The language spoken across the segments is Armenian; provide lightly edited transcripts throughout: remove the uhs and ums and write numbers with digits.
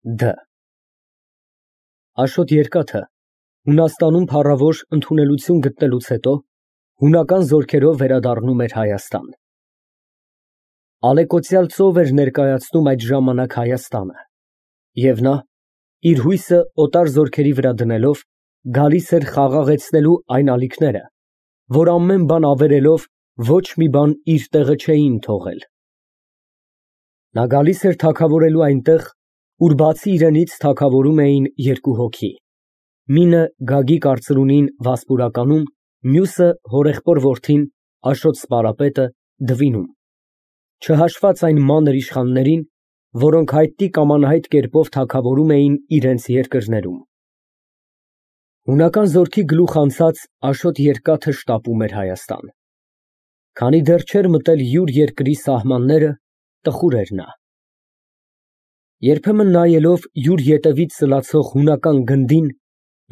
Դ Աշոտ Երկաթը Հունաստանում փառավոր ընդունելություն գտնելուց հետո հունական զորքերով վերադառնում էր Հայաստան։ Ալեկոծյալ ծով էր ներկայացնում այդ ժամանակ Հայաստանը, և նա, իր հույսը օտար զորքերի վրա դնելով, գալիս էր խաղաղեցնելու այն ալիքները, որ ամեն բան ավերելով ոչ մի բան իր տեղը չէին թողել։ Նա գալիս էր թագավորելու այնտեղ, ուր բացի իրենից թագավորում էին երկու հոգի, մինը Գագիկ արծրունին Վասպուրականում, մյուսը հորեղբոր որդին Աշոտ Սպարապետը Դվինում, չհաշված այն մանր իշխաններին, որոնք հայտնի կամ անհայտ կերպով թագավորում էին իրենց երկրներում։ Հունական զորքի գլուխ անցած Աշոտ Երկաթը շտապում էր Հայաստան։ Քանի դեռ չէր մտել յուր երկրի սահմանները, տխուր էր նա։ Երբեմն նայելով յուր ետևից սլացող հունական գնդին,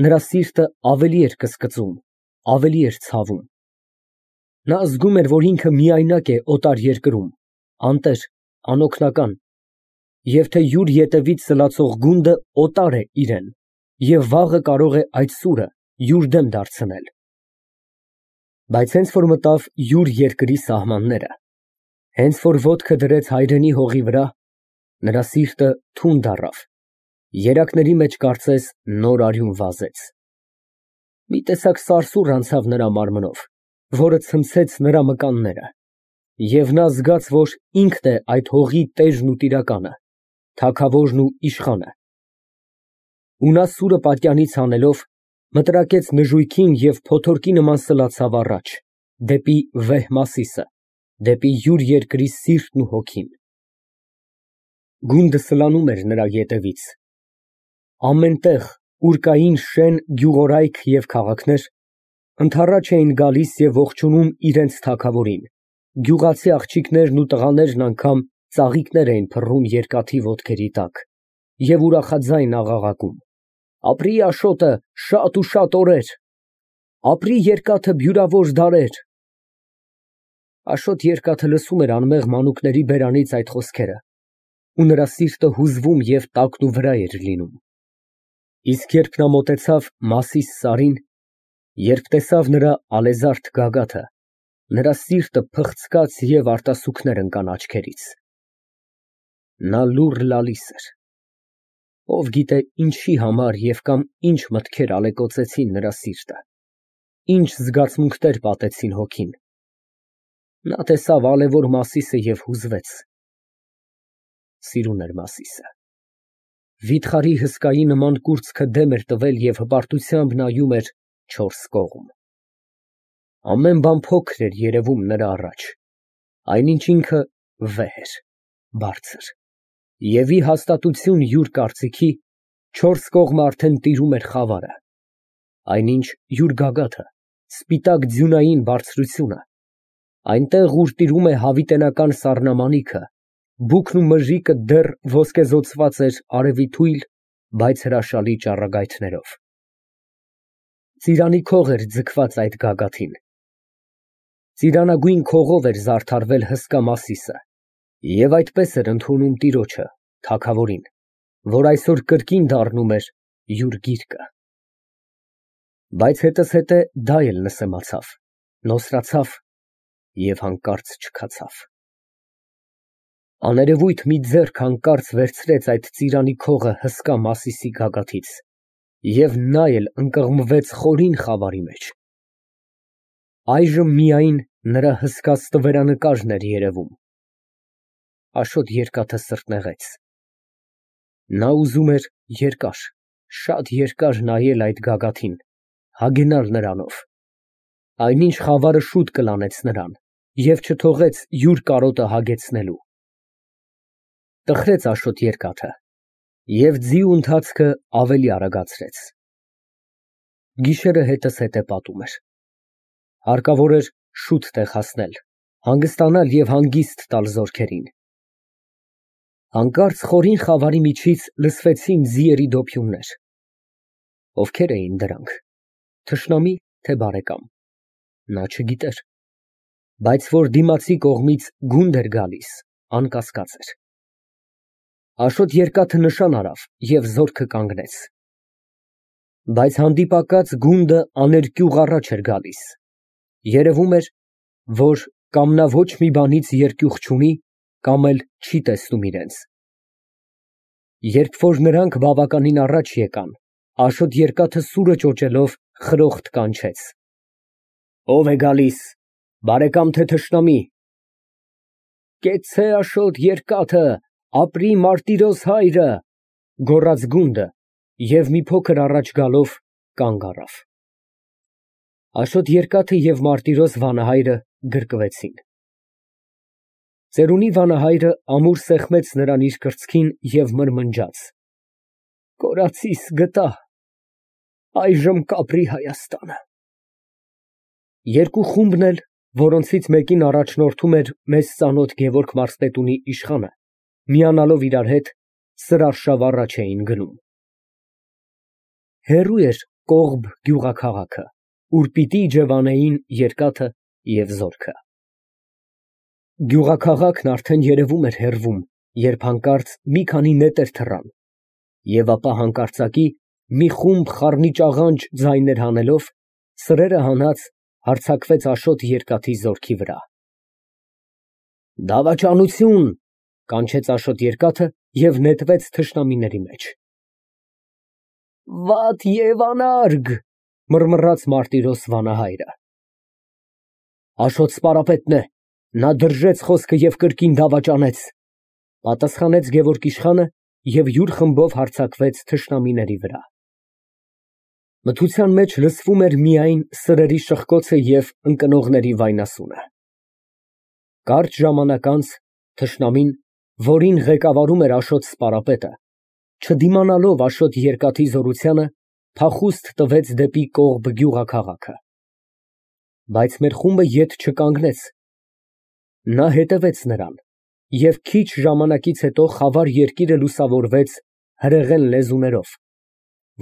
նրա սիրտը ավելի էր կսկծում, ավելի էր ցավում։ Նա զգում էր, որ ինքը միայնակ է օտար երկրում, անտեր, անօգնական, և թե յուր ետևից սլացող գունդը օտար է իրեն, և վաղը կարող է այդ սուրը յուր դեմ դարձնել։ Բայց հենց որ մտավ յուր երկրի սահմանները, հենց որ ոտքը դրեց հայրենի հողի վրա, նրա սիրտը թունդ առավ, երակների մեջ կարծես նոր արյուն վազեց։ Մի տեսակ սարսուռ անցավ նրա մարմնով, որը ցնցեց նրա մկանները, և նա զգաց, որ ինքն է այդ հողի տերն ու տիրակալը, թագավորն ու իշխանը։ Ու նա սուրը պատյանից հանելով, մտրակեց նժույգին և փոթորկի նման սլացավ առաջ, դեպի վեհ Մասիսը, դեպի յուր երկրի սիրտն ու հոգին։ Գունդը սլանում էր նրա ետևից։ Ամեն տեղ, ուր կային շեն գյուղորայք և քաղաքներ, ընդառաջ էին գալիս և ողջունում իրենց թագավորին, գյուղացի աղջիկներն ու տղաներն անգամ ծաղիկներ էին փռում երկաթի ոտքերի տակ և ուրախաձայն աղաղակում. «Ապրի Աշոտը շատ ու շատ օրեր, ապրի Երկաթը բյուրավոր դարեր»։ Աշոտ Երկաթը լսում էր անմեղ մանուկների բերանից այդ խոսքերը, ու նրա սիրտը հուզվում և տակնուվրա էր լինում։ Իսկ երբ նա մոտեցավ Մասիս սարին, երբ տեսավ նրա ալեզարդ գագաթը, նրա սիրտը փխցկաց և արտասուքներ ընկան աչքերից։ Նա լուռ լալիս էր։ Ով գիտե ինչի համար և կամ ինչ մտքեր ալեկոծեցին նրա սիրտը, ինչ զգացմունքներ պատեցին հոգին։ Նա տեսավ ալեվոր Մասիսը և հուզվեց։ Սիրուն էր Մասիսը։ Վիթխարի հսկայի նման կուրծքը դեմ էր տվել և հպարտությամբ նայում էր չորս կողմ։ Ամեն բան փոքր էր երևում նրա առաջ, այնինչ ինքը վեհ էր, բարձր, և ի հաստատություն յուր կարծիքի, չորս կողմը արդեն տիրում էր խավարը, այնինչ յուր գագաթը, սպիտակ ձյունային բարձրությունը, այնտեղ, ուր տիրում է հավիտենական սառնամանիքը, բուքն ու մժիկը դեռ ոսկեզօծված էր արևի թույլ, բայց հրաշալի ճառագայթներով։ Ծիրանի քող էր ձգված այդ գագաթին։ Ծիրանագույն քողով էր զարդարվել հսկա Մասիսը, և այդպես էր ընդունում տիրոջը, թագավորին, որ այսօր կրկին դառնում էր յուր գիրկը։ Բայց հետզհետե դա էլ նսեմացավ, նոսրացավ և հանկարծ չքացավ։ Աներևույթ մի ձեռք հանկարծ վերցրեց այդ ծիրանի քողը հսկա Մասիսի գագաթից, և նա էլ ընկղմվեց խորին խավարի մեջ։ Այժմ միայն նրա հսկա ստվերանկարն էր երևում։ Աշոտ Երկաթը սրտնեղեց։ Նա ուզում էր երկար, շատ երկար նայել այդ գագաթին, հագենալ նրանով, այնինչ խավարը շուտ կլանեց նրան և չթողեց յուր կարոտը հագեցնելու։ Տխրեց Աշոտ Երկաթը և ձիու ընթացքը ավելի արագացրեց։ Գիշերը հետզհետե պատում էր։ Հարկավոր էր շուտ տեղ հասնել, հանգստանալ և հանգիստ տալ զորքերին։ Հանկարծ խորին խավարի միջից լսվեցին ձիերի դոփյուններ։ Ովքեր էին դրանք, թշնամի, թե բարեկամ, նա չգիտեր, բայց որ դիմացի կողմից գունդ էր գալիս, անկասկած էր։ Աշոտ երկաթը նշան արավ և զորքը կանգնեց։ Բայց հանդիպակաց գունդը աներկյուղ առաջ էր գալիս։ Երևում էր, որ կամ նա ոչ մի բանից երկյուղ չունի, կամ էլ չի տեսնում իրենց։ Երբ որ նրանք բավականին առաջ եկան, Աշոտ երկաթը սուրը ճոճելով խրոխտ կանչեց. «Ո՞վ է գալիս, բարեկամ թե թշնամի»։ «Կեցցե Աշոտ երկաթը, ապրի Մարտիրոս հայրը», գոռաց գունդը և մի փոքր առաջ գալով կանգ առավ։ Աշոտ երկաթը և Մարտիրոս վանահայրը գրկվեցին։ Ծերունի վանահայրը ամուր սեղմեց նրան իր կրծքին և մրմնջաց. «Կորածիս գտա, այժմ կապրի Հայաստանը»։ Երկու խումբն էլ, որոնցից մեկին առաջնորդում էր մեզ ծանոթ Գևորգ մարզպետունի իշխանը, միանալով իրար հետ, Սրարշավ առաջ էին գնում։ Հեռու էր Կողբ գյուղաքաղաքը, ուր պիտի իջևանեին երկաթը և զորքը։ Գյուղաքաղաքն արդեն երևում էր հեռվում, երբ հանկարծ մի քանի նետեր թռան, և ապա հանկարծակի մի խումբ խառնիճաղանճ ձայներ հանելով, սրերը հանած, հարձակվեց Աշոտ երկաթի զորքի վրա։ «Դավաճանություն», կանչեց Աշոտ երկաթը և նետվեց թշնամիների մեջ։ «Վատ և անարգ», մռմռաց Մարտիրոս վանահայրը։ «Աշոտ սպարապետն է, նա դրժեց խոսքը և կրկին դավաճանեց», պատասխանեց Գևորգ իշխանը և յուր խմբով հարձակվեց թշնամիների վրա։ Մթության մեջ լսվում էր միայն սրերի շխկոցը և ընկնողների վայնասունը։ Կարճ ժամանակ անց թշնամին, որին ղեկավարում էր Աշոտ սպարապետը, չդիմանալով Աշոտ երկաթի զորությանը, փախուստ տվեց դեպի Կողբ գյուղաքաղաքը։ Բայց մեր խումբը ետ չկանգնեց։ Նա հետևեց նրան, և քիչ ժամանակից հետո խավար երկիրը լուսավորվեց հրեղեն լեզուներով,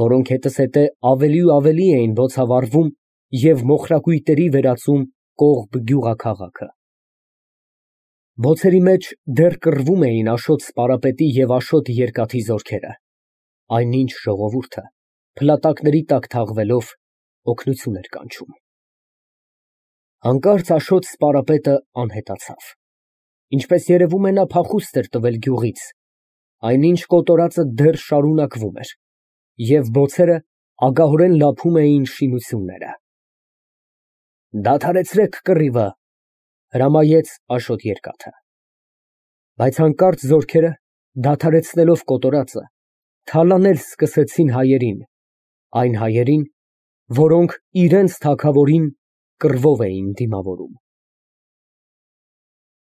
որոնք հետզհետե ավելի ու ավելի էին բոցավառվում և մոխրակույտերի վերածում Կողբ գյուղաքաղաքը։ Բոցերի մեջ դեռ կռվում էին Աշոտ սպարապետի և Աշոտ երկաթի զորքերը, այնինչ ժողովուրդը, փլատակների տակ թաղվելով, օգնություն էր կանչում։ Հանկարծ Աշոտ սպարապետը անհետացավ։ Ինչպես երևում է, նա փախուստ էր տվել գյուղից, այնինչ կոտորածը դեռ շարունակվում էր, և բոցերը ագահորեն լափում էին շինությունները։ «Դադարեցրեք կռիվը», հրամայեց Աշոտ երկաթը։ Բայց հանկարծ զորքերը, դադարեցնելով կոտորածը, թալանել սկսեցին հայերին, այն հայերին, որոնք իրենց թագավորին կռվով էին դիմավորում։